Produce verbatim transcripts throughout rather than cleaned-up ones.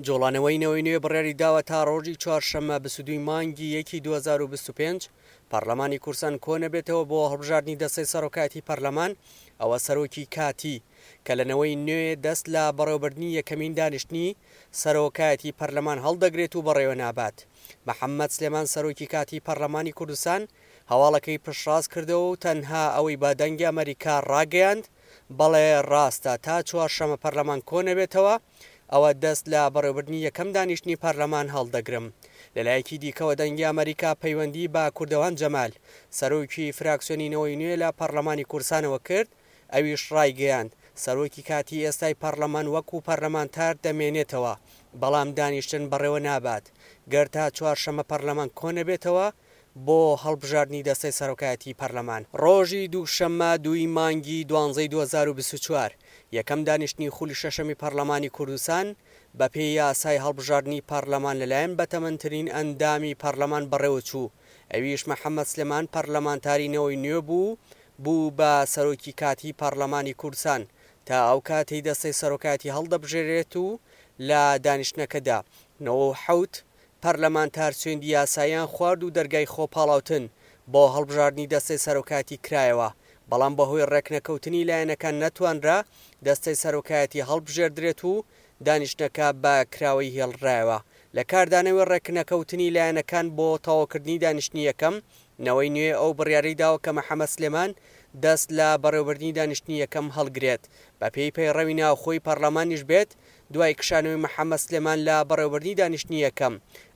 جوڵانەوەی نەوەی نوێ بڕیاری داوە تا ڕۆژی چوارشەممە بیست و دوو مانگی یەکی دوو هەزار و بیست و پێنج پەرلەمانی کوردستان کۆنەبێتەوە بۆ هەڵبژاردنی دەستەی سەرۆکایەتی پەرلەمان، ئەوە سەرۆکی کاتی کە لە نەوەی نوێ دەست لە بەڕێوەبردنی یەکەمین دانیشتنی سەرۆکایەتی پەرلەمان هەڵدەگرێت و بەڕێوە نابات. محەممەد سلێمان سەرۆکی کاتی پەرلەمانی کوردستان هەواڵەکەی پشتڕاست کردەوە و تەنها ئەوەی بە دەنگی ئەمەریکا ڕاگەیاند بەڵێ ڕاستە تا چوارشەممە پەرلەمان کۆنەبێتەوە ئەوە دەست لە بەڕێوەبردنی یەکەم دانیشتنی پەرلەمان هەڵدەگرم. لەلایەکی دیکەوە دەنگی ئەمەریکا پەیوەندی بە کوردەوان جەمال سەرۆکی فراکسیۆنی نەوەی نوێ لە پەرلەمانی کوردستانەوە کرد، ئەویش ڕایگەیاند سەرۆکی کاتی ئێستای پەرلەمان وەکو پەرلەمانتار دەمێنێتەوە، بەڵام دانیشتن بەڕێوە نابات گەر تا چوارشەممە پەرلەمان کۆنەبێتەوە بۆ هەڵبژاردنی دەستەی سەرۆکایەتی پەرلەمان. ڕۆژی دووشەممە دووی مانگی دوانزەی دوو هەزار و بیست و چوار یەکەم دانیشتنی خولی شەشەمی پەرلەمانی کوردستان بەپێی یاسای هەڵبژاردنی پەرلەمان لەلایەن بەتەمەنترین ئەندامی پەرلەمان بەڕێوەچوو، ئەویش محەممەد سلێمان پەرلەمانتاری نەوەی نوێ بوو بوو بە سەرۆکی کاتی پەرلەمانی کوردستان تا ئەو کاتەی دەستەی سەرۆکایەتی هەڵدەبژێرێت و لە دانیشتنەکەدا نەوە و حەوت پەرلەمانتار سوێندی یاساییان خوارد و دەرگای خۆپاڵاوتن بۆ هەڵبژاردنی دەستەی سەرۆکایەتی کرایەوە، بەڵام بەهۆی ڕێکنەکەوتنی لایەنەکان نەتوانرا دەستەی سەرۆکایەتی هەڵبژێردرێت و دانیشتنەکە بە کراوەی هێڵرایەوە. لە کاردانەوەی ڕێکنەکەوتنی لایەنەکان بۆ تەواوکردنی دانیشتنی یەکەم، نەوەی نوێ ئەو بڕیارەی داوە کە محەممەد سلێمان دەست لە بەڕێوەبردنی دانیشتنی یەکەم هەڵگرێت. بەپێی پەیڕەوی ناوخۆی پەرلەمانیش بێت، دوای کشانەوەی محەممەد سلێمان لە بەڕێوەبردنی دانیشتنی یەکەم،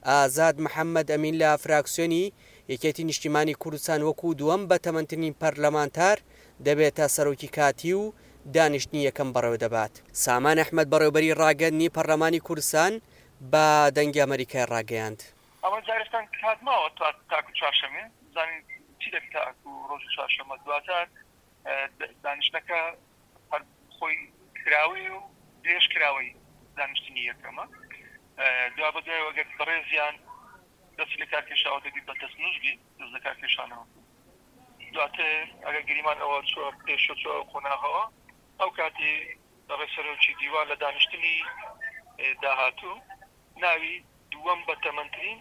ئازاد محەممەد ئەمین لە فراکسیۆنی یەکێتی نیشتیمانی کوردستان وەکو دووەم بەتەمەنترین پەرلەمانتار دەبێتە سەرۆکی کاتی و دانیشتنی یەکەم بەڕێوە دەبات. سامان ئەحمەد بەڕێوەبەری ڕاگەندنی پەرلەمانی کوردستان بە دەنگی ئەمەریکای ڕاگەیاند. ئەوە جارێکتان کات ماوە تاکو چوارشەمێ بزانین چی دەبێت تاکو ڕۆژی چوارشەممە. دواتر دانیشتنەکە هەر خۆی کراوەی و درێژ کراوەی دانیشتنی یەکەمە. دوا بەدوای ئەگەر بەڕێزیان دەستی لە کارکێشاوە دەبی بە دەستنووس بی دەست لە کارکێشانەوە. دواتر ئەگەر گریمان ئەوە چووە پێشە چووە قۆناغەوە، ئەو کاتی بەڕێز سەرۆکی دیوان لە دانیشتنی داهاتوو ناوی دووەم بەتەمەنترین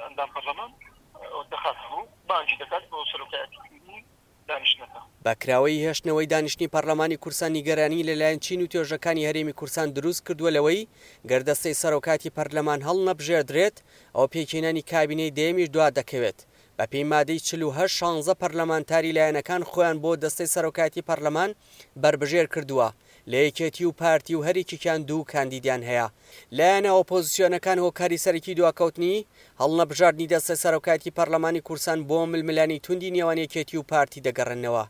ئەندام پەرلەمان دەخات ڕوو، بانگی دەکات بۆ سەرۆکایەتیکردنی دانیشتنەکە. بە کراوەی هێشتنەوەی دانیشتنی پەرلەمانی کوردستان نیگەرانی لەلایەن چین و توێژەکانی هەرێمی کوردستان دروست کردووە لەوەی گەر دەستەی سەرۆکاتی پەرلەمان هەڵنەبژێردرێت ئەو پێکهێنانی کابینەی دەیەمیش دوا دەکەوێت. بەپێی مادەی چل و هەشت شانزە پەرلەمانتاری لایەنەکان خۆیان بۆ دەستەی سەرۆکایەتی پەرلەمان بەربژێر کردووە لە یەکێتی و پارتی و هەرێکێکیان دوو کاندیدیان هەیە. لایەنە ئۆپۆزیسیۆنەکان هۆکاری سەرەکی دواکەوتنی هەڵنەبژاردنی دەستەی سەرۆکایەتی پەرلەمانی کوردستان بۆ ململانی توندی نێوان یەکێتی و پارتی دەگەڕێنەوە.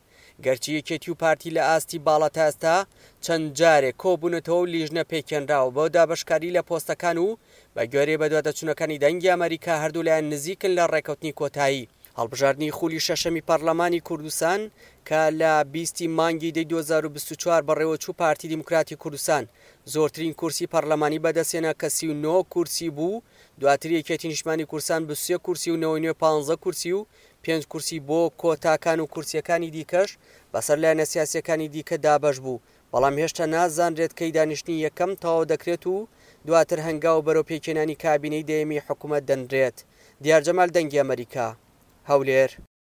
گەرچی یەکێتی و پارتی لە ئاستی باڵا تا ئێستا چەند جارێک کۆبوونەتەوە و لیژنە پێکێنراوە بۆ دابەشکاری لە پۆستەکان و بە گوێرەی بەدواداچوونەکانی دەنگی ئەمریکا هەردوو لایەن نزیکن لە ڕێکەوتنی کۆتایی. هەڵبژاردنی خولی شەشەمی پەرلەمانی کوردستان کە لە بیستی مانگی دەی دوو هەزار و بیست و چوار بەڕێوەچوو، پارتی دیموکراتی کوردستان زۆرترین کورسی پەرلەمانی بەدەستهێنا کە سی و نۆ کورسی بوو، دواتر یەکێتی نیشتمانی کوردستان بیست و سێ کورسی و نەوەی نوێ پانزە کورسی و پێنج کورسی بۆ کۆتاکان و کورسیەکانی دیکەش بەسەر لایەنە سیاسیەکانی دیکە دابەش بوو، بەڵام هێشتا نازانرێت کەی دانیشتنی یەکەم تەواو دەکرێت و دواتر هەنگاو بەرەو پێکهێنانی کابینەی دەیەمی حکوومەت دەنرێت. دیار جەمال، دەنگی ئەمریکا، هەولێر.